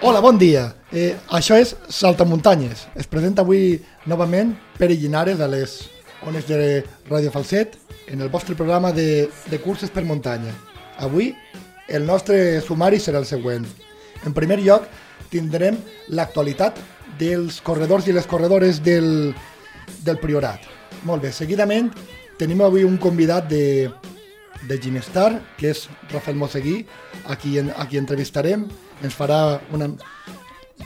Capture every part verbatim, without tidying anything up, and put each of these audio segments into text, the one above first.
Hola, bon dia. Eh, això és Saltamuntanyes. Es presenta avui novament Pere Llinares a les ones de Ràdio Falset en el vostre programa de, de curses per muntanya. Avui el nostre sumari serà el següent. En primer lloc tindrem l'actualitat dels corredors i les corredores del, del Priorat. Molt bé, seguidament tenim avui un convidat de, de Ginestar, que és Rafael Moseguí, a qui, a qui entrevistarem. Ens farà una...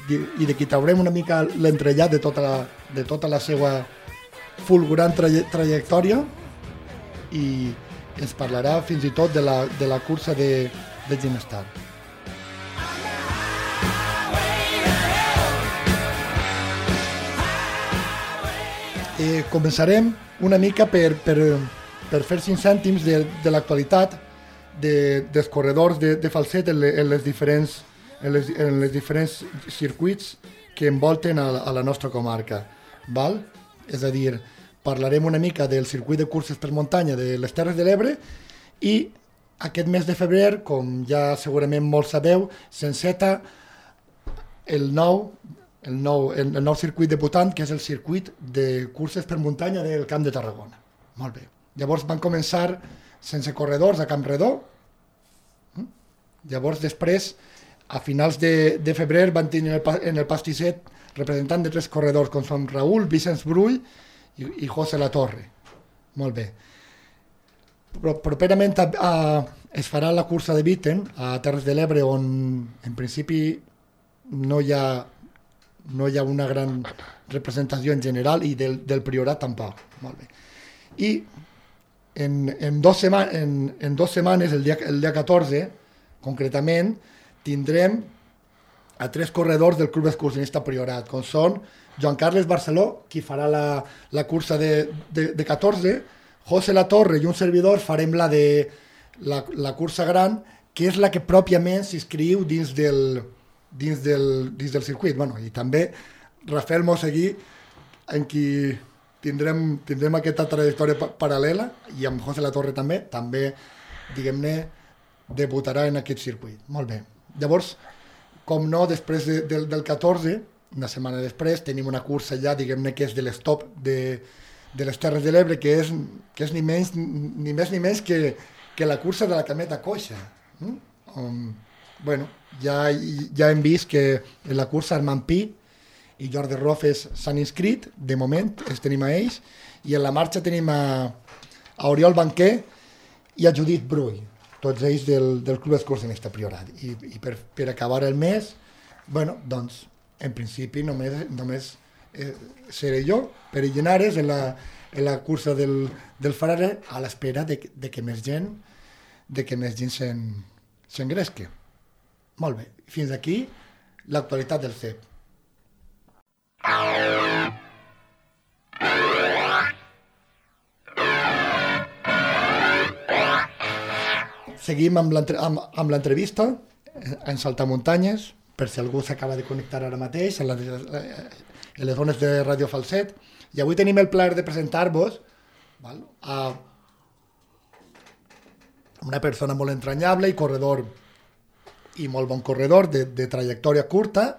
i de qui traurem una mica l'entrellat de tota la, de tota la seva fulgurant traje, trajectòria i ens parlarà fins i tot de la, de la cursa de, de Ginestar. Eh, començarem una mica per, per, per fer cinc cèntims de, de l'actualitat de, dels corredors de, de Falset en, le, en les diferents en les, en les diferents circuits que envolten a, a la nostra comarca. Val? És a dir, parlarem una mica del circuit de curses per muntanya de les Terres de l'Ebre i aquest mes de febrer, com ja segurament molts sabeu, s'enceta el nou, el, nou, el, el nou circuit debutant, que és el circuit de curses per muntanya del Camp de Tarragona. Molt bé. Llavors van començar sense corredors a Campredó. Llavors després, a finals de, de febrer, van tenir el, en el pastisset representant de tres corredors, com són Raül, Vicenç Brull i, i José Latorre. Molt bé. Però properament a, a, es farà la cursa de Viten a Terres de l'Ebre, on en principi no hi ha, no hi ha una gran representació en general i del, del Priorat tampoc. Molt bé. I en, en, dos, sema, en, en dos setmanes, el dia, el dia catorze, concretament, tindrem a tres corredors del Club Excursionista Priorat, com són Joan Carles Barceló, qui farà la, la cursa de, de, de catorze, José Latorre i un servidor farem la de la, la cursa gran, que és la que pròpiament s'inscriu dins del, dins del, dins del circuit. Bueno, i també Rafael Moseguí, en qui tindrem, tindrem aquesta trajectòria pa- paral·lela, i amb José Latorre també, també, diguem-ne, debutarà en aquest circuit. Molt bé. Llavors, com no, després de, de, del catorze, una setmana després, tenim una cursa ja, diguem-ne, que és de l'estop de, de les Terres de l'Ebre, que és, que és ni, menys, ni més ni menys que, que la cursa de la cameta coixa. Mm? Um, bueno, ja, ja hem vist que en la cursa Armand Pi i Jordi Rofes s'han inscrit, de moment, els tenim a ells, i en la marxa tenim a, a Oriol Banquer i a Judit Brull, tots ells del, del Club Excursionista Priorat. I, i per, per acabar el mes, bueno, doncs, en principi només, només eh, seré jo, Pere Llinares, en la, en la cursa del, del Frare, a l'espera de, de que més gent, de que més gent se'n, s'engresqui. Molt bé. Fins aquí l'actualitat del C E P. Seguim amb l'entrevista en Saltamuntanyes, per si algú s'acaba de connectar ara mateix, en, la, en les zones de Ràdio Falset. I avui tenim el plaer de presentar-vos val, a una persona molt entranyable i corredor, i molt bon corredor, de, de trajectòria curta,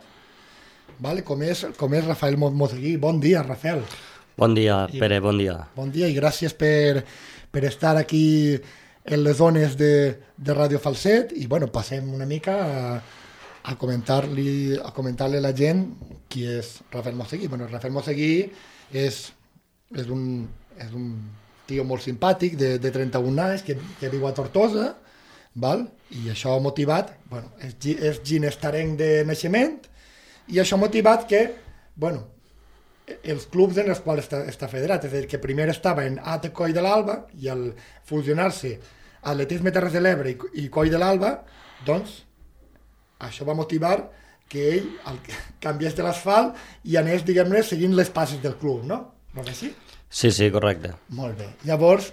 val, com, és, com és Rafael Moseguí. Bon dia, Rafael. Bon dia, Pere, bon dia. Bon dia i gràcies per, per estar aquí en les zones de, de Ràdio Falset i bueno, passem una mica a, a comentar-li a comentar-li a la gent qui és Rafael Moseguí. Bueno, Rafael Moseguí és, és, un, és un tio molt simpàtic de, de trenta-un anys que, que viu a Tortosa, val? I això ha motivat, bueno, és, és ginestarenc de naixement i això ha motivat que, bueno, els clubs en els quals està, està federat, és a dir, que primer estava en A T Coll de l'Alba i al fusionar-se Atletisme Terres de l'Ebre i, i Coll de l'Alba, doncs això va motivar que ell el, canviés de l'asfalt i anés, diguem-ne, seguint les passes del club, no? No és així? Sí, sí, correcte. Molt bé. Llavors,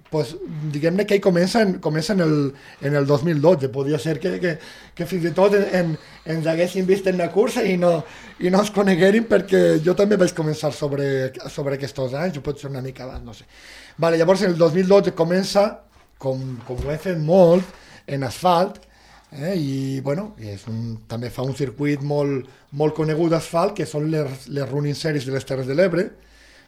pues, diguem-ne que ell comença en, comença en, el, en el dos mil dotze. Podria ser que, que, que fins i tot en, en, ens haguessin vist en la cursa i no, i no ens coneguerin, perquè jo també vaig començar sobre, sobre aquests anys, o pot ser una mica abans, no sé. Vale, llavors, en el dos mil dotze comença, com, com ho he fet molt, en asfalt, Eh? I bueno, és un, també fa un circuit molt, molt conegut d'asfalt, que són les, les running series de les Terres de l'Ebre.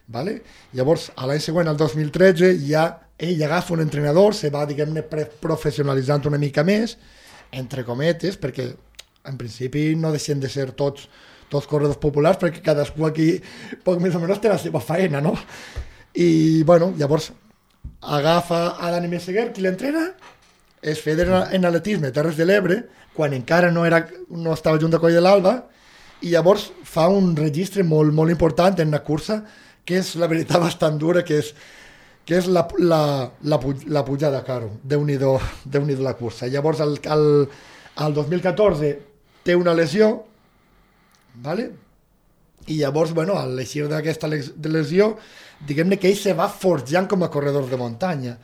Vale? Llavors, a l'any següent, el dos mil tretze, ja ell agafa un entrenador, se va, diguem-ne, professionalitzant una mica més, entre cometes, perquè en principi no deixen de ser tots, tots corredors populars, perquè cadascú aquí poc més o menys té la seva faena, no? I, bueno, llavors agafa a Dani Meseguer, qui l'entrena, es federa en atletisme Terres de l'Ebre, quan encara no, era, no estava junt a Coll de l'Alba, i llavors fa un registre molt, molt important en una cursa que és, la veritat, bastant dura, que és, que és la, la, la, la pujada, caro. Déu-n'hi-do, Déu-n'hi-do la cursa. Llavors, el, el, el dos mil catorze té una lesió, vale? I llavors, bueno, a l'eixir d'aquesta lesió, diguem-ne que ell se va forjant com a corredor de muntanya.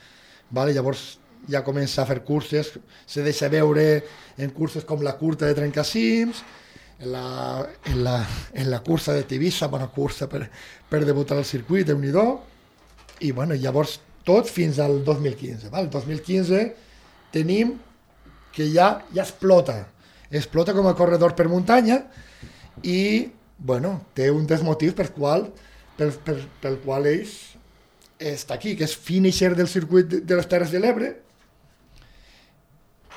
Vale? Llavors ja comença a fer curses, se deixa veure en curses com la curta de Trencacims, en la, en la, en la cursa de Tivissa, bona cursa per, per debutar al circuit, Déu-n'hi-do, i bueno, llavors tot fins al dos mil quinze. Val? El dos mil quinze tenim que ja, ja explota, explota com a corredor per muntanya i bueno, té un dels motius per qual, per, per, pel qual ell està aquí, que és finisher del circuit de, de les Terres de l'Ebre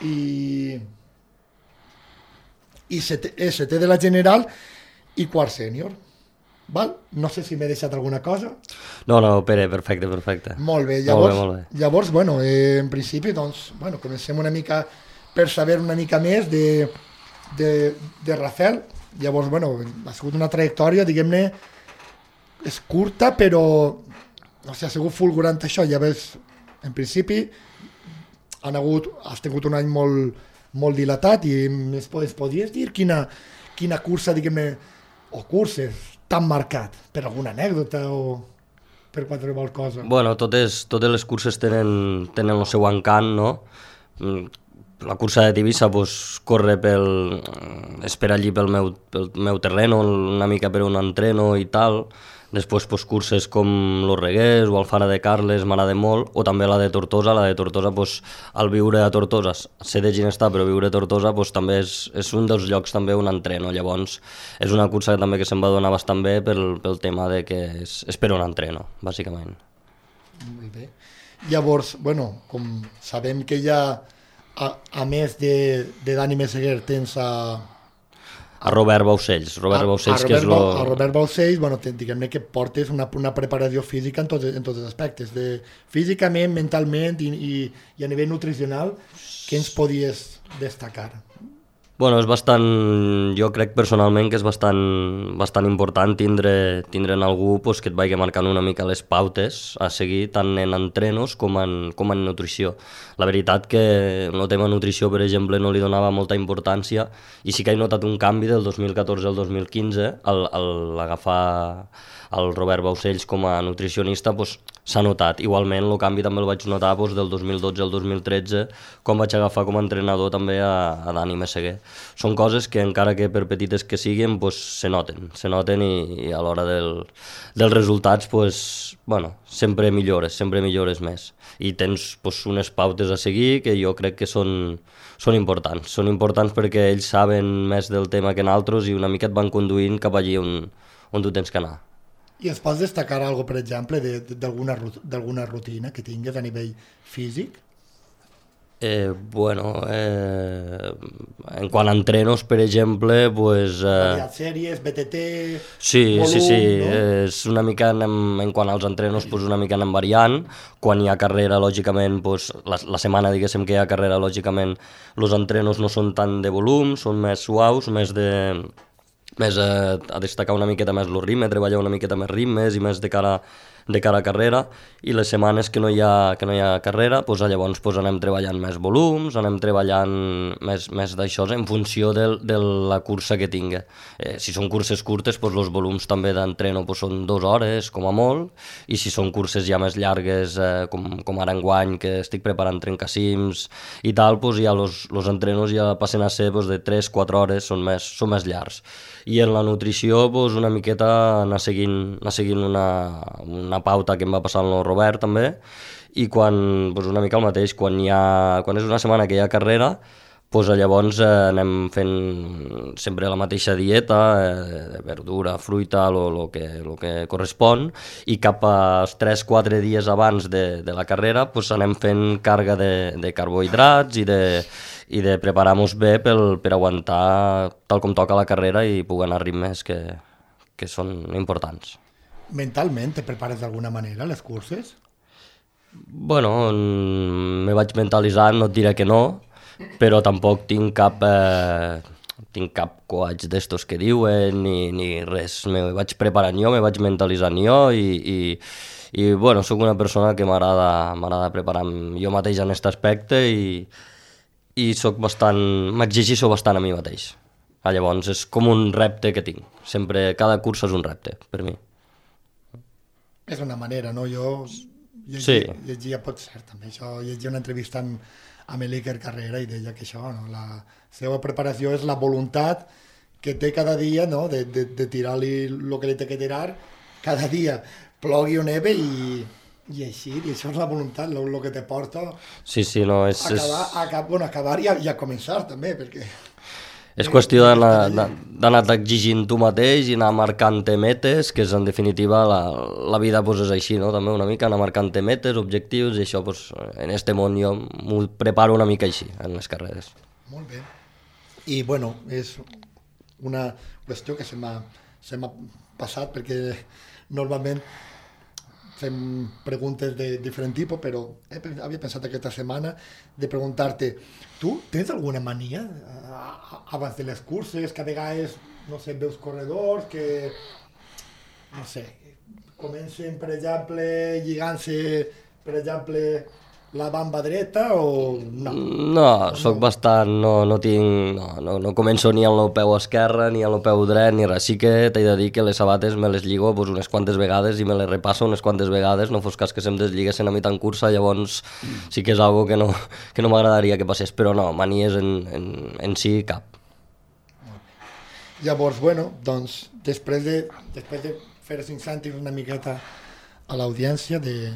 i i setè, setè de la general i quart sènior. Val? No sé si m'he deixat alguna cosa. No, no, Pere, perfecte, perfecte. Molt bé, llavors, molt bé, molt bé. llavors bueno, eh, en principi, doncs, bueno, comencem una mica per saber una mica més de, de, de Rafael. Llavors, bueno, ha sigut una trajectòria, diguem-ne, és curta, però o sigui, ha sigut fulgurant això. Ja ves, en principi, han hagut, has tingut un any molt, molt dilatat i es podries dir quina, quina cursa, diguem-ne, o curses t'han marcat, per alguna anècdota o per qualsevol cosa? Bueno, totes, totes les curses tenen, tenen el seu encant, no? La cursa de Tivissa pues, corre pel... és per allí pel meu, pel meu terreno, una mica per on entreno i tal. Després pues, curses com Los Reguers o Alfara de Carles m'agrada molt, o també la de Tortosa. La de Tortosa, pues, al viure a Tortosa, sé de Ginestar, però viure a Tortosa pues, també és, és un dels llocs també on entreno. Llavors és una cursa que també que se'm va donar bastant bé pel, pel tema de que és, és per on entreno, bàsicament. Molt bé. Llavors, bueno, com sabem que ja, a, a més de, de Dani Meseguer, tens a... A Robert Baucells, Robert Baucells, que és lo... A Robert Baucells, bueno, diguem-ne que portes una, una preparació física en tots, en tots els aspectes, de, físicament, mentalment i, i, i a nivell nutricional, què ens podies destacar? Bueno, és bastant, jo crec personalment que és bastant, bastant important tindre, tindre en algú pues, que et vagi marcant una mica les pautes a seguir tant en entrenos com en, com en nutrició. La veritat que el tema nutrició, per exemple, no li donava molta importància i sí que he notat un canvi del dos mil catorze al dos mil quinze al, al agafar el Robert Baucells com a nutricionista, pues, s'ha notat. Igualment, el canvi també el vaig notar pues, del dos mil dotze al dos mil tretze, quan vaig agafar com a entrenador també a, a Dani Meseguer. Són coses que, encara que per petites que siguin, pues, se noten, se noten i, i a l'hora del, dels resultats, pues, bueno, sempre millores, sempre millores més. I tens pues, unes pautes a seguir que jo crec que són, són importants. Són importants perquè ells saben més del tema que nosaltres i una mica et van conduint cap allí on, on tu tens que anar. I es pots destacar alguna cosa, per exemple, d'alguna rutina que tingues a nivell físic? Eh, bueno, eh, en quant a entrenos, per exemple, pues... Eh, Variat sèries, B T T, sí, volum, sí, sí, no? és una mica anem, en quant als entrenos, pues una mica anem variant. Quan hi ha carrera, lògicament, pues, la, la setmana, diguéssim, que hi ha carrera, lògicament, els entrenos no són tant de volum, són més suaus, més de... més a, a destacar una miqueta més el ritme, treballar una miqueta més ritmes i més de cara, de cara a carrera, i les setmanes que no hi ha, que no hi ha carrera, doncs llavors doncs anem treballant més volums, anem treballant més, més d'això en funció de, de la cursa que tingui. Eh, si són curses curtes, doncs els volums també d'entreno doncs són dues hores, com a molt, i si són curses ja més llargues, eh, com, com ara enguany, que estic preparant trencacims i tal, doncs ja els entrenos ja passen a ser doncs, de tres a quatre hores, són més, són més llargs. I en la nutrició doncs, una miqueta anar seguint, anar seguint una, una pauta que em va passar amb el Robert també, i quan, doncs una mica el mateix, quan, hi ha, quan és una setmana que hi ha carrera, pues llavors eh, anem fent sempre la mateixa dieta, eh, verdura, fruita, el que, lo que correspon, i cap als tres quatre dies abans de, de la carrera pues anem fent càrrega de, de carbohidrats i de, i de preparar-nos bé pel, per aguantar tal com toca la carrera i poder anar a ritmes que, que són importants. Mentalment te prepares d'alguna manera les curses? Bueno, me vaig mentalitzant, no et diré que no, però tampoc tinc cap, eh, tinc cap coach d'estos que diuen ni, ni res. Me vaig preparant jo, me vaig mentalitzant jo i, i, i bueno, sóc una persona que m'agrada m'agrada preparar-me jo mateix en aquest aspecte i, i soc bastant, m'exigeixo bastant a mi mateix. Ah, llavors és com un repte que tinc. Sempre, cada cursa és un repte per mi. És una manera, no? Jo llegia, sí. llegia, pot ser també això, llegia una entrevista amb, amb l'Iker Carrera i deia que això, no? La seva preparació és la voluntat que té cada dia, no? de, de, de tirar-li el que li té que tirar cada dia, plogui o neve i, i així, i això és la voluntat, el que te porta sí, sí, no, és, a acabar, és... a, acabar, bueno, acabar i a, i a començar també, perquè... És qüestió d'anar-te exigint tu mateix i anar marcant-te metes, que és en definitiva la, la vida pues, és així, no? També una mica anar marcant-te metes, objectius, i això pues, en este món jo m'ho preparo una mica així, en les carreres. Molt bé. I bueno, és una qüestió que se m'ha se m'ha passat perquè normalment fem preguntes de diferent tipus, però he, havia pensat aquesta setmana de preguntar-te, tu tens alguna mania abans de les curses, que a vegades, no sé, veus corredors que, no sé, comencen, per exemple, lligant-se, per exemple, la bamba dreta o no? No, soc no. bastant, no, no tinc, no, no, no començo ni amb el peu esquerre ni amb el peu dret ni res, sí que t'he de dir que les sabates me les lligo pues, unes quantes vegades i me les repasso unes quantes vegades, no fos cas que se'm desliguessin a mi tant cursa, llavors sí que és algo que no, que no m'agradaria que passés, però no, manies en, en, en si cap. Llavors, bueno, doncs, després de, després de fer cinc cèntims una miqueta a l'audiència de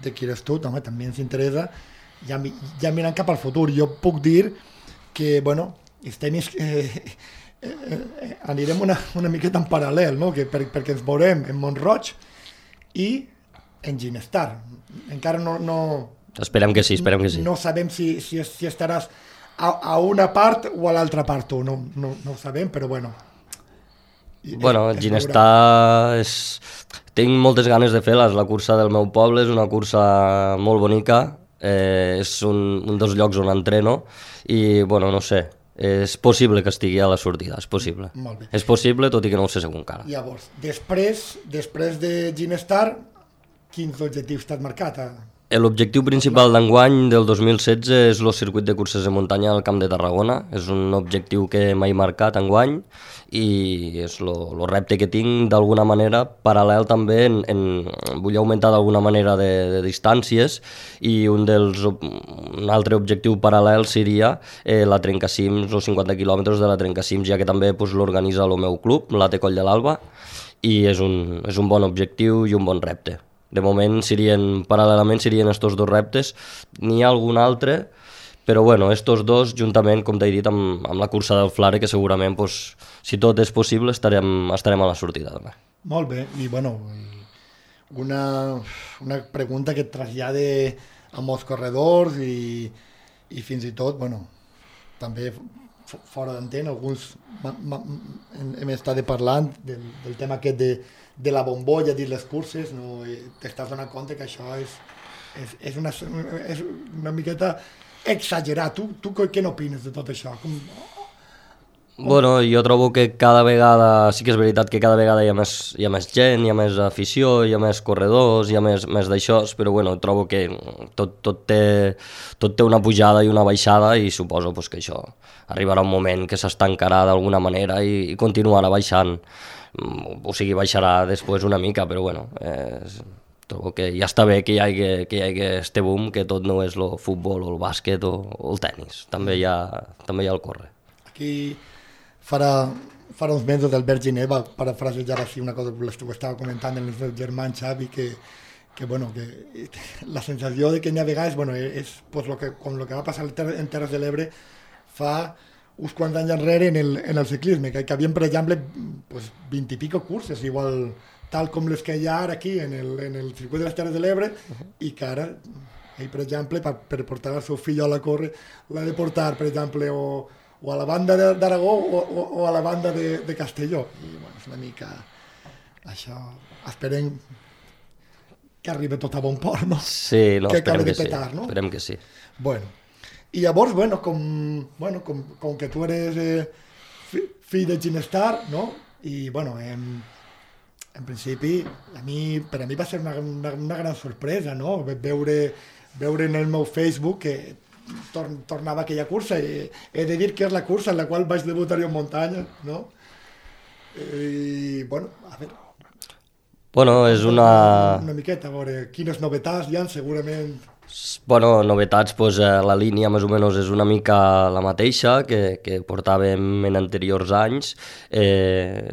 de qui eres tu, home, també ens interessa, ja, ja mirant cap al futur. Jo puc dir que, bueno, els tenis eh, eh, eh, anirem una, una miqueta en paral·lel, no? que per, perquè ens veurem en Mont-roig i en Ginestar. Encara no, no... Esperem que sí, esperem que sí. No sabem si, si, si estaràs a, a una part o a l'altra part tu, no, no, no ho sabem, però bueno... Bueno, el Ginestar és... Tinc moltes ganes de fer-la, la cursa del meu poble, és una cursa molt bonica, eh, és un, un dels llocs on entreno i, bueno, no sé, és possible que estigui a la sortida, és possible. Molt bé. És possible, tot i que no ho sé segur encara. Llavors, després, després de Ginestar, quins objectius t'has marcat? L'objectiu principal d'enguany del dos mil setze és el circuit de curses de muntanya al Camp de Tarragona. És un objectiu que m'he marcat enguany i és el repte que tinc d'alguna manera paral·lel també en, en vull augmentar d'alguna manera de, de distàncies i un dels un altre objectiu paral·lel seria eh, la trencacims, els cinquanta quilòmetres de la trencacims, ja que també pues, l'organitza el meu club, l'A T Coll de l'Alba, i és un, és un bon objectiu i un bon repte. De moment, serien, paral·lelament, serien estos dos reptes. N'hi ha algun altre, però bueno, estos dos, juntament, com t'he dit, amb, amb la cursa del Flare, que segurament, pues, si tot és possible, estarem, estarem a la sortida també. Molt bé, i bueno, una, una pregunta que et trasllade a molts corredors i, i fins i tot, bueno, també fora d'antena, alguns ma, ma, hem estat parlant del, del tema aquest de de la bombolla dins les curses, no? T'estàs donant compte que això és, és, és, una, és una miqueta exagerat. Tu, tu què n'opines de tot això? Com... Bueno, jo trobo que cada vegada, sí que és veritat que cada vegada hi ha més, hi ha més gent, hi ha més afició, hi ha més corredors, hi ha més, més d'això, però bueno, trobo que tot, tot, té, tot té una pujada i una baixada i suposo pues, que això arribarà un moment que s'estancarà d'alguna manera i, i continuarà baixant. O sigui, baixarà després una mica, però bueno, eh, trobo que ja està bé que hi hagi, que hi hagi este boom, que tot no és el futbol o el bàsquet o, o el tennis, també hi ha, també hi ha el córrer. Aquí farà, farà uns mesos l'Albert Giner va parafrasejar així una cosa que estava comentant el meu germà Xavi, que, que, bueno, que la sensació de que n'hi ha vegades, bueno, és pues, lo que, com el que va passar en Terres de l'Ebre, fa uns quants anys enrere en el, en el ciclisme, que, que havien, per exemple, pues, vint i pico curses, igual tal com les que hi ha ara aquí en el, en el circuit de les Terres de l'Ebre, uh-huh. i que ara, ell, per exemple, per, per portar el seu fill a la córrer, l'ha de portar, per exemple, o, o a la banda d'Aragó o, o, o a la banda de, de Castelló. I, bueno, és una mica... Això, esperem que arribi tot a bon port, no? Sí, no, que esperem que petar, sí. No? Esperem que sí. Bueno, i llavors, bueno, com, bueno, com, com que tu eres eh, fi, fill de Ginestar, no? I, bueno, en, en principi, a mi, per a mi va ser una, una, una gran sorpresa, no? Veure, veure en el meu Facebook que tor, tornava aquella cursa. I he de dir que és la cursa en la qual vaig debutar jo en muntanya, no? I, bueno, a veure... Bueno, és una... Una miqueta, a veure, quines novetats hi ha, segurament... Bueno, novetats, doncs, la línia més o menys és una mica la mateixa que, que portàvem en anteriors anys. Eh,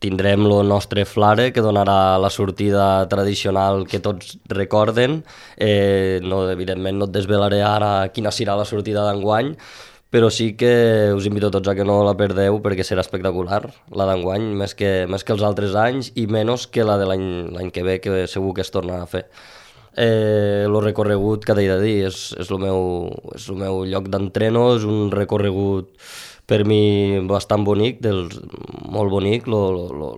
tindrem el nostre flare, que donarà la sortida tradicional que tots recorden. Eh, no, evidentment no et desvelaré ara quina serà la sortida d'enguany, però sí que us invito tots a que no la perdeu perquè serà espectacular, la d'enguany, més que, més que els altres anys i menys que la de l'any que ve, que segur que es torna a fer. Eh, el recorregut, que t'he de dir, és, és, el meu, és el meu lloc d'entreno, és un recorregut per mi bastant bonic, dels, molt bonic. Lo, lo, lo,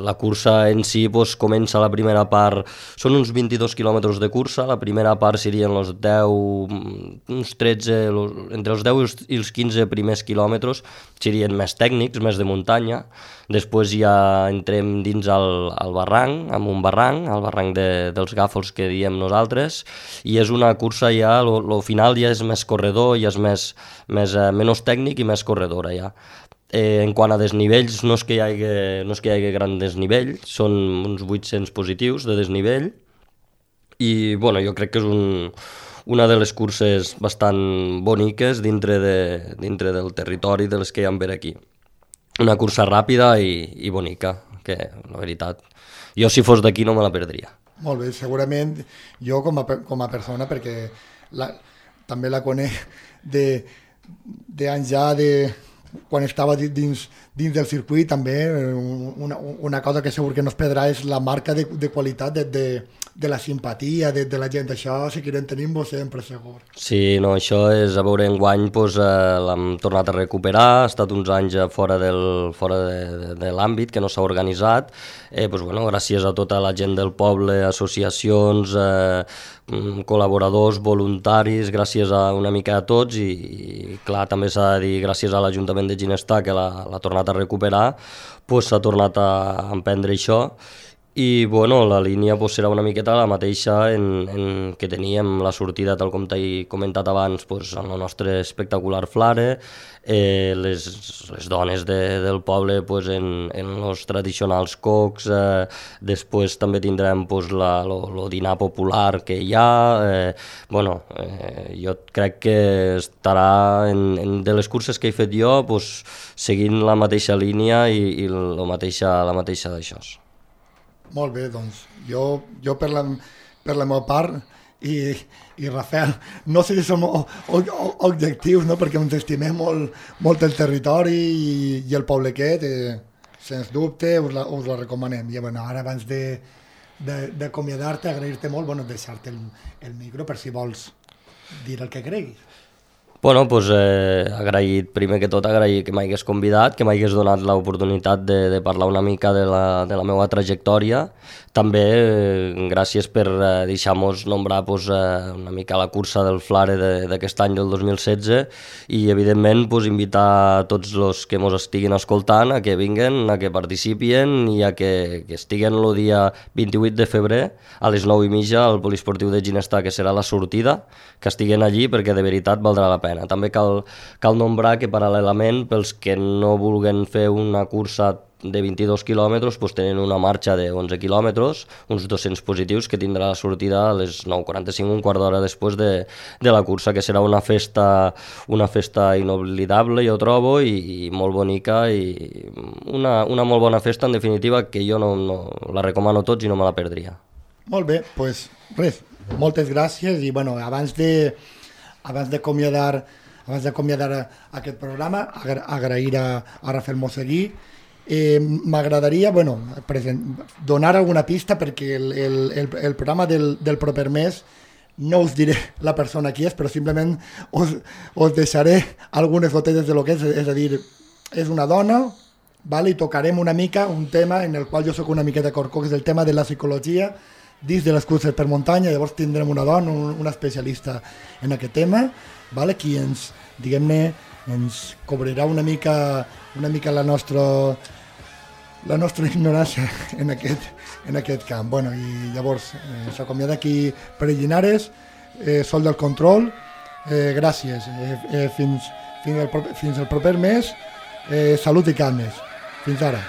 la cursa en si pues, comença la primera part, són uns vint-i-dos quilòmetres de cursa, la primera part serien els deu, uns tretze, los, entre els deu i els, i els quinze primers quilòmetres serien més tècnics, més de muntanya. Després ja entrem dins el, el barranc, amb un barranc, el barranc de, dels Gàfols que diem nosaltres, i és una cursa ja, el final ja és més corredor, ja és més, més, eh, menys tècnic i més corredora ja. Eh, en quant a desnivells, no és que hi hagi, no és que hi hagi gran desnivell, són uns vuit-cents positius de desnivell, i bueno, jo crec que és un, una de les curses bastant boniques dintre, de, dintre del territori de les que hi ha per aquí. Una cursa ràpida i, i bonica, que la veritat, jo si fos d'aquí no me la perdria. Molt bé, segurament jo com a, com a persona, perquè la, també la conec de, de anys ja de quan estava dins, dins del circuit, també una, una cosa que segur que no es perdrà és la marca de, de qualitat de, de, de la simpatia de, de la gent. Això seguirem tenint-ho sempre, segur. Sí, no, això és, a veure, enguany doncs, eh, l'hem tornat a recuperar, ha estat uns anys fora, del, fora de, de, de l'àmbit, que no s'ha organitzat, eh, doncs, bueno, gràcies a tota la gent del poble, associacions, eh, col·laboradors, voluntaris, gràcies a una mica a tots, i, i clar, també s'ha de dir gràcies a l'Ajuntament de Ginestar, que l'ha tornat a recuperar, doncs s'ha tornat a emprendre això. I bueno, la línia pues, serà una miqueta la mateixa en, en que teníem la sortida, tal com t'he comentat abans, pues, en el nostre espectacular flare, eh, les, les dones de, del poble pues, en, en els tradicionals cocs, eh, després també tindrem pues, la, lo, lo dinar popular que hi ha, eh, bueno, eh, jo crec que estarà en, en de les curses que he fet jo pues, seguint la mateixa línia i, i la mateixa, la mateixa d'això. Molt bé, doncs jo, jo per, la, per la meva part i, i Rafael, no sé si som o, o, objectius, no? Perquè ens estimem molt, molt el territori i, i el poble aquest, eh, sens dubte us la, us la recomanem. I bueno, ara abans d'acomiadar-te, agrair-te molt, bueno, deixar-te el, el micro per si vols dir el que creguis. Bueno, doncs eh, agraït, primer que tot agrair que m'hagués convidat, que m'hagués donat l'oportunitat de, de parlar una mica de la, de la meva trajectòria. També eh, gràcies per eh, deixar-nos nombrar pues, eh, una mica la cursa del flare d'aquest any del dos mil setze i evidentment pues, invitar tots els que ens estiguin escoltant a que vinguen, a que participin i a que, que estiguen el dia vint-i-vuit de febrer a les nou i mitja al Poliesportiu de Ginestar, que serà la sortida, que estiguen allí perquè de veritat valdrà la pena. També cal, cal nombrar que paral·lelament pels que no vulguen fer una cursa de vint-i-dos quilòmetres pues tenen una marxa de onze quilòmetres, uns dos-cents positius que tindrà la sortida a les nou quaranta-cinc, un quart d'hora després de, de la cursa, que serà una festa, una festa inoblidable, jo trobo, i, i molt bonica, i una, una molt bona festa, en definitiva, que jo no, no la recomano a tots i no me la perdria. Molt bé, doncs res, moltes gràcies, i bueno, abans de abans d'acomiadar abans d'acomiadar aquest programa, agra agrair a, a Rafael Moseguí. Eh, M'agradaria bueno, donar alguna pista perquè el, el, el, el programa del, del proper mes no us diré la persona qui és, però simplement us, us deixaré algunes gotetes de lo que és, és a dir, és una dona, vale? I tocarem una mica un tema en el qual jo sóc una miqueta corcó, que és el tema de la psicologia dins de les curses per muntanya. Llavors tindrem una dona, un, una especialista en aquest tema, vale? Qui ens, diguem-ne, ens cobrirà una mica, una mica la nostra la nostra ignorància en aquest, en aquest camp. Bueno, i llavors eh, s'acomiada aquí Pere Llinares, eh, Sol del Control, eh, gràcies, eh, eh, fins, fins, el, fins el proper mes, eh, salut i calmes. Fins ara.